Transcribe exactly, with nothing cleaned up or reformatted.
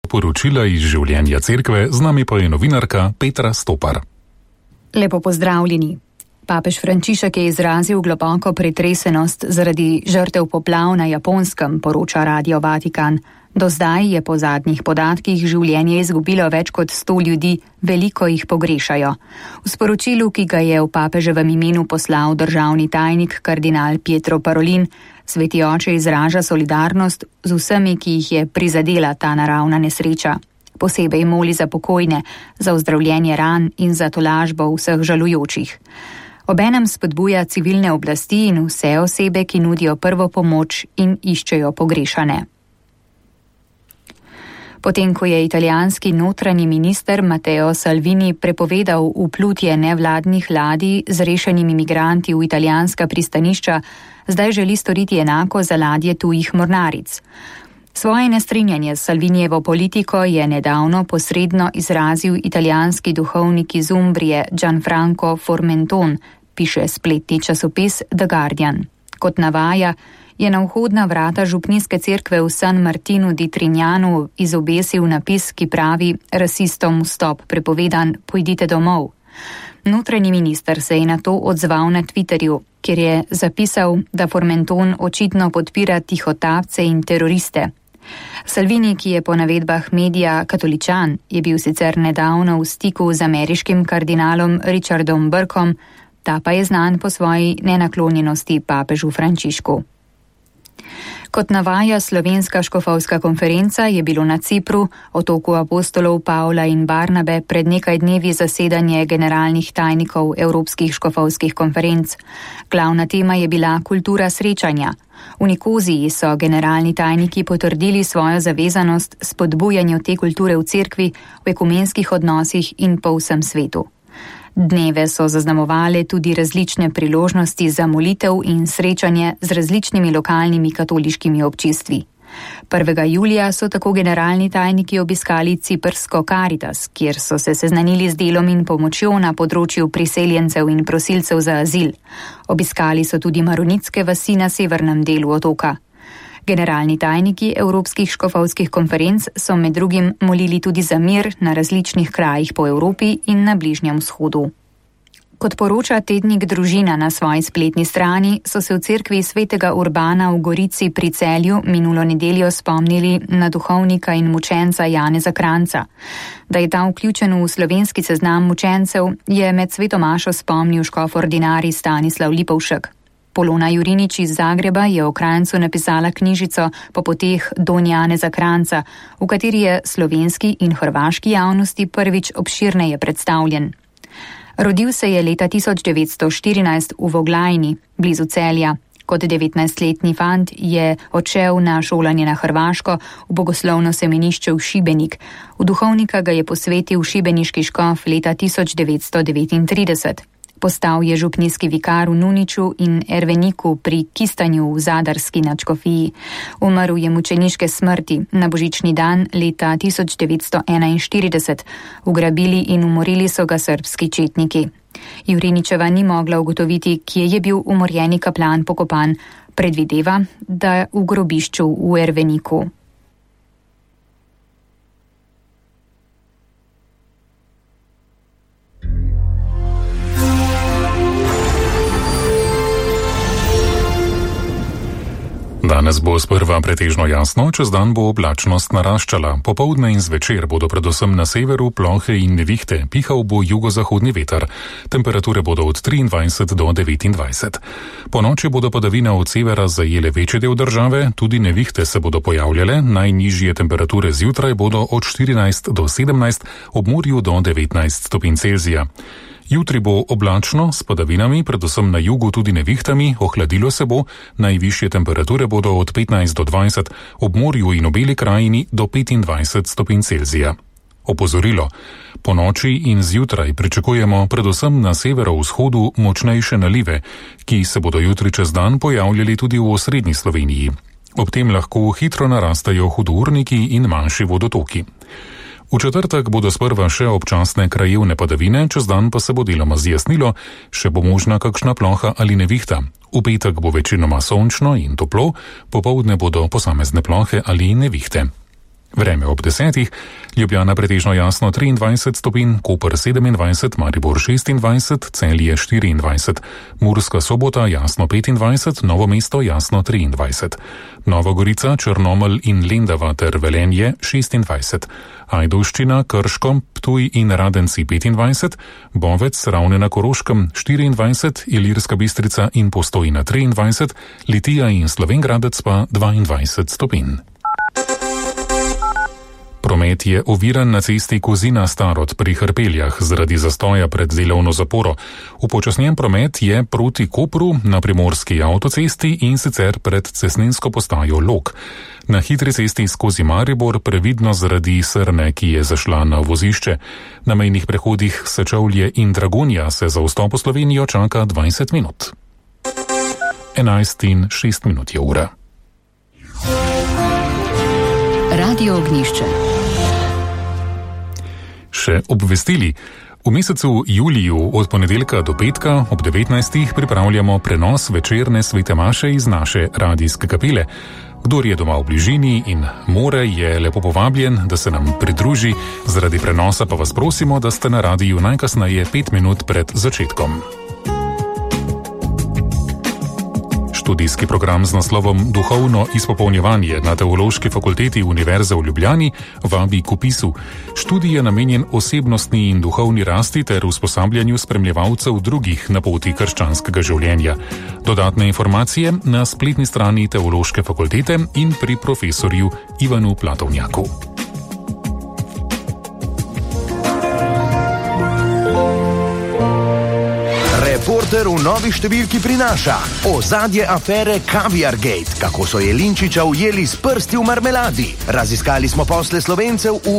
Poročila iz življenja cerkve, z nami pa je novinarka Petra Stopar. Lepo pozdravljeni. Papež Frančišek je izrazil globoko pretresenost zaradi žrtev poplav na Japonskem, poroča Radio Vatikan. Do zdaj je po zadnjih podatkih življenje izgubilo več kot sto ljudi, veliko jih pogrešajo. V sporočilu, ki ga je v papeževem imenu poslal državni tajnik kardinal Pietro Parolin, Sveti oče izraža solidarnost z vsemi, ki jih je prizadela ta naravna nesreča. Posebej moli za pokojne, za ozdravljenje ran in za tolažbo vseh žalujočih. Obenem spodbuja civilne oblasti in vse osebe, ki nudijo prvo pomoč in iščejo pogrešane. Potem, ko je italijanski notranji minister Matteo Salvini prepovedal vplutje nevladnih ladij z rešenimi migranti v italijanska pristanišča, zdaj želi storiti enako za ladje tujih mornaric. Svoje nestrinjanje s Salvinijevo politiko je nedavno posredno izrazil italijanski duhovnik iz Umbrije Gianfranco Formenton, piše spletni časopis The Guardian. Kot navaja, je na vhodna vrata župnijske cerkve v San Martinu di Trignanu izobesil napis, ki pravi: rasistom vstop prepovedan, pojdite domov. Notranji minister se je na to odzval na Twitterju, kjer je zapisal, da Formenton očitno podpira tihotapce in teroriste. Salvini, ki je po navedbah medija katoličan, je bil sicer nedavno v stiku z ameriškim kardinalom Richardom Burkom, ta pa je znan po svoji nenaklonjenosti papežu Frančišku. Kot navaja Slovenska škofovska konferenca, je bilo na Cipru, otoku apostolov Pavla in Barnabe, pred nekaj dnevi zasedanje generalnih tajnikov Evropskih škofovskih konferenc. Glavna tema je bila kultura srečanja. V Nikoziji so generalni tajniki potrdili svojo zavezanost spodbujanju te kulture v cerkvi, v ekumenskih odnosih in po vsem svetu. Dneve so zaznamovale tudi različne priložnosti za molitev in srečanje z različnimi lokalnimi katoliškimi občestvi. prvega julija so tako generalni tajniki obiskali ciprsko Caritas, kjer so se seznanili z delom in pomočjo na področju priseljencev in prosilcev za azil. Obiskali so tudi maronitske vasi na severnem delu otoka. Generalni tajniki Evropskih škofovskih konferenc so med drugim molili tudi za mir na različnih krajih po Evropi in na Bližnjem vzhodu. Kot poroča tednik Družina na svoji spletni strani, so se v cerkvi svetega Urbana v Gorici pri Celju minulo nedeljo spomnili na duhovnika in mučenca Janeza Kranjca. Da je ta vključen v slovenski seznam mučencev, je med svetomašo spomnil škof ordinarij Stanislav Lipovšek. Polona Jurinič iz Zagreba je o Kranjcu napisala knjižico Po poteh Don Janeza Kranjca, v kateri je slovenski in hrvaški javnosti prvič obširneje predstavljen. Rodil se je leta tisoč devetsto štirinajst v Voglajni, blizu Celja. Kot devetnajstletni fant je odšel na šolanje na Hrvaško v bogoslovno semenišče v Šibenik. V duhovnika ga je posvetil šibeniški škof leta tisoč devetsto devetintrideset. Postal je župnijski vikar v Nuniču in Erveniku pri Kistanju v Zadarski nadškofiji. Umrl je mučeniške smrti na božični dan leta tisoč devetsto enainštirideset. Ugrabili in umorili so ga srbski četniki. Juriničeva ni mogla ugotoviti, kje je bil umorjeni kaplan pokopan. Predvideva, da v grobišču v Erveniku. Danes bo sprva pretežno jasno, čez dan bo oblačnost naraščala. Popoldne in zvečer bodo predvsem na severu plohe in nevihte, pihal bo jugozahodni veter. Temperature bodo od triindvajset do devetindvajset. Po noči bodo padavine od severa zajele večji del države, tudi nevihte se bodo pojavljale, najnižje temperature zjutraj bodo od štirinajst do sedemnajst, ob morju do devetnajst stopinj Celzija. Jutri bo oblačno, s padavinami, predvsem na jugu tudi nevihtami, ohladilo se bo, najvišje temperature bodo od petnajst do dvajset, ob morju in obeli krajini do petindvajset stopinj Celzija. Opozorilo. Po noči in zjutraj pričakujemo predvsem na severovzhodu močnejše nalive, ki se bodo jutri čez dan pojavljali tudi v osrednji Sloveniji. Ob tem lahko hitro narastajo hudourniki in manjši vodotoki. V četrtek bodo sprva še občasne krajevne padavine, čez dan pa se bo deloma zjasnilo, še bo možna kakšna ploha ali nevihta. V petek bo večinoma sončno in toplo, popoldne bodo posamezne plohe ali nevihte. Vreme ob desetih, Ljubljana pretežno jasno triindvajset stopinj, Koper sedemindvajset, Maribor šestindvajset, Celje štiriindvajset, Murska Sobota jasno petindvajset, Novo mesto jasno triindvajset, Nova Gorica, Črnomelj in Lendava ter Velenje šestindvajset, Ajdovščina, Krško, Ptuj in Radenci petindvajset, Bovec, Ravne na Koroškem štiriindvajset, Ilirska Bistrica in Postojna triindvajset, Litija in Slovenj Gradec pa dvaindvajset stopinj. Promet je oviran na cesti Kozina-Starod pri Hrpeljah zaradi zastoja pred delovno zaporo. Upočasnjen promet je proti Kopru na primorski avtocesti in sicer pred cestninsko postajo Log. Na hitri cesti skozi Maribor previdno zaradi srne, ki je zašla na vozišče. Na mejnih prehodih Sečovlje in Dragonja se za vstop v Slovenijo čaka dvajset minut. enajst in šest minut je ura. Radio Ognjišče. Še obvestili. V mesecu juliju od ponedeljka do petka ob devetnajstih pripravljamo prenos večerne svete maše iz naše radijske kapele. Kdor je doma v bližini in more, je lepo povabljen, da se nam pridruži. Zaradi prenosa pa vas prosimo, da ste na radiju najkasneje pet minut pred začetkom. Študijski program z naslovom Duhovno izpopolnjevanje na Teološki fakulteti Univerze v Ljubljani vabi k vpisu. Študij je namenjen osebnostni in duhovni rasti ter usposabljanju spremljevalcev drugih na poti krščanskega življenja. Dodatne informacije na spletni strani Teološke fakultete in pri profesorju Ivanu Platovnjaku. Reporter v novi številki prinaša ozadje afere Caviar Gate, kako so Jelinčiča ujeli s prsti v marmeladi. Raziskali smo posle Slovencev v